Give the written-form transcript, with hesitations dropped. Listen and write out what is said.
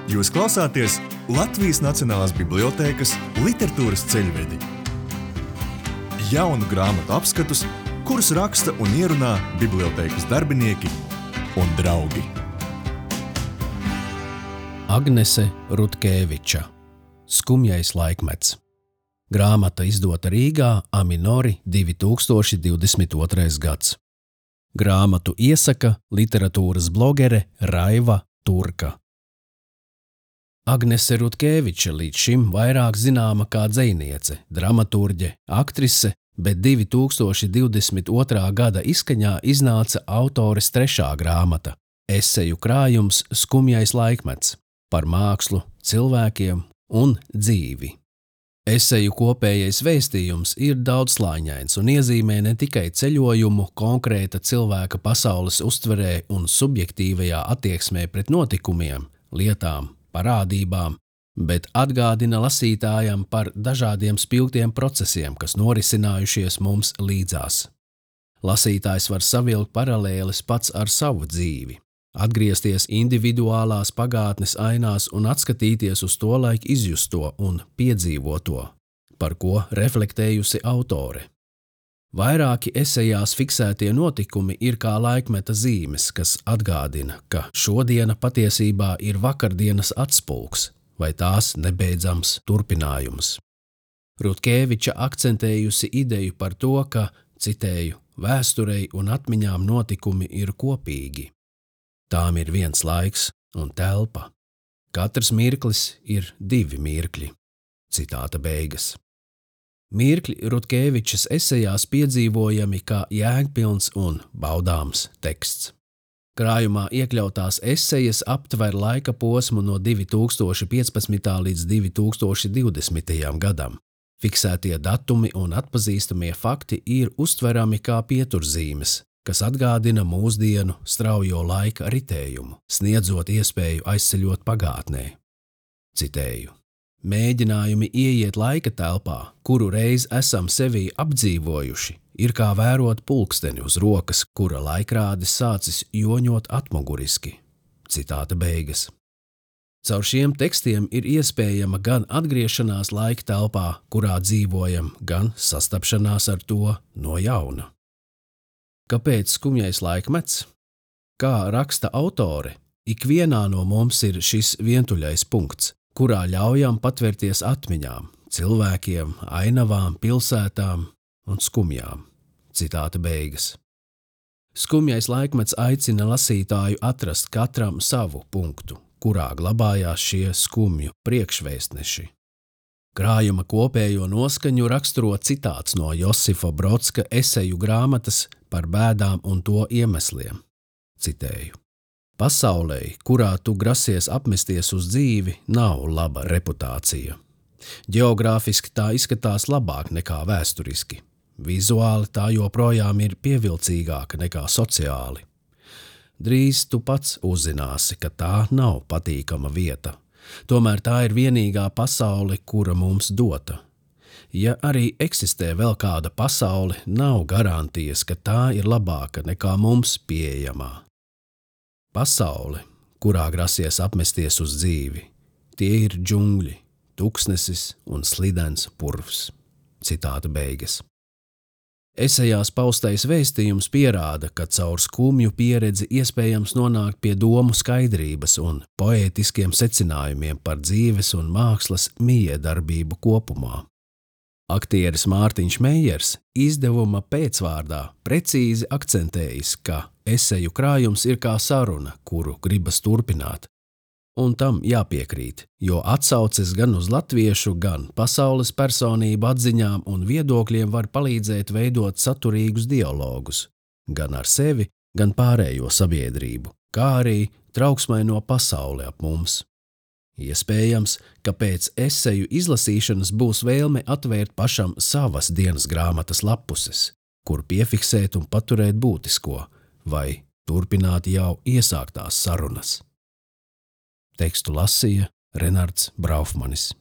Jūs klausāties Latvijas Nacionālās bibliotēkas literatūras ceļvedi. Jaunu grāmatu apskatus, kurus raksta un ierunā bibliotēkas darbinieki un draugi. Agnese Rutkeviča, Skumjais laikmets. Grāmata izdota Rīgā, Aminori, 2022. gads. Grāmatu iesaka literatūras blogere Raiva Turka. Agnese Rutkeviča līdz šim vairāk zināma kā dzejniece, dramaturģe, aktrise, bet 2022. gada izskaņā iznāca autores trešā grāmata – eseju krājums Skumjais laikmets par mākslu, cilvēkiem un dzīvi. Eseju kopējais vēstījums ir daudzslāņains un iezīmē ne tikai ceļojumu konkrēta cilvēka pasaules uztverē un subjektīvajā attieksmē pret notikumiem, lietām, parādībām, bet atgādina lasītājam par dažādiem spilgtiem procesiem, kas norisinājušies mums līdzās. Lasītājs var savilkt paralēles pats ar savu dzīvi, atgriezties individuālās pagātnes ainās un atskatīties uz tolaik izjusto un piedzīvoto, par ko reflektējusi autore. Vairāki esejās fiksētie notikumi ir kā laikmeta zīmes, kas atgādina, ka šodiena patiesībā ir vakardienas atspulgs vai tās nebeidzams turpinājums. Rutkeviča akcentējusi ideju par to, ka, citēju, vēsturei un atmiņām notikumi ir kopīgi. Tām ir viens laiks un telpa. Katrs mirklis ir divi mirkļi. Citāta beigas. Mirkļi Rutkevičas esejās piedzīvojami kā jēgpilns un baudāms teksts. Krājumā iekļautās esejas aptver laika posmu no 2015. līdz 2020. gadam. Fiksētie datumi un atpazīstamie fakti ir uztverami kā pieturzīmes, kas atgādina mūsdienu straujo laika ritējumu, sniedzot iespēju aizceļot pagātnē. Citēju. Mēģinājumi ieiet laika telpā, kuru reiz esam sevī apdzīvojuši, ir kā vērot pulksteni uz rokas, kura laikrādis sācis joņot atmuguriski. Citāta beigas. Caur šiem tekstiem ir iespējama gan atgriešanās laika telpā, kurā dzīvojam, gan sastapšanās ar to no jauna. Kāpēc skumjais laikmets? Kā raksta autore, ikvienā no mums ir šis vientuļais punkts, kurā ļaujam patvērties atmiņām, cilvēkiem, ainavām, pilsētām un skumjām. Citāta beigas. Skumjais laikmets aicina lasītāju atrast katram savu punktu, kurā glabājās šie skumju priekšvēstneši. Krājuma kopējo noskaņu raksturo citāts no Josifa Brodska eseju grāmatas par bēdām un to iemesliem. Citēju. Pasaulei, kurā tu grasies apmesties uz dzīvi, nav laba reputācija. Ģeogrāfiski tā izskatās labāk nekā vēsturiski. Vizuāli tā joprojām ir pievilcīgāka nekā sociāli. Drīz tu pats uzzināsi, ka tā nav patīkama vieta. Tomēr tā ir vienīgā pasaule, kura mums dota. Ja arī eksistē vēl kāda pasaule, nav garantijas, ka tā ir labāka nekā mums pieejamā. Pasaule, kurā grasies apmesties uz dzīvi, tie ir džungļi, tuksnesis un slidens purvs. Citāta beigas. Esejās paustais vēstījums pierāda, ka caur skumju pieredzi iespējams nonākt pie domu skaidrības un poētiskiem secinājumiem par dzīves un mākslas mijiedarbību kopumā. Aktieris Mārtiņš Meijers izdevuma pēcvārdā precīzi akcentējis, ka eseju krājums ir kā saruna, kuru gribas turpināt. Un tam jāpiekrīt, jo atsauces gan uz latviešu, gan pasaules personību atziņām un viedokļiem var palīdzēt veidot saturīgus dialogus, gan ar sevi, gan pārējo sabiedrību, kā arī trauksmaino pasauli ap mums. Iespējams, ka pēc eseju izlasīšanas būs vēlme atvērt pašam savas dienas grāmatas lapuses, kur piefiksēt un paturēt būtisko, vai turpināt jau iesāktās sarunas. Tekstu lasīja Renards Braufmanis.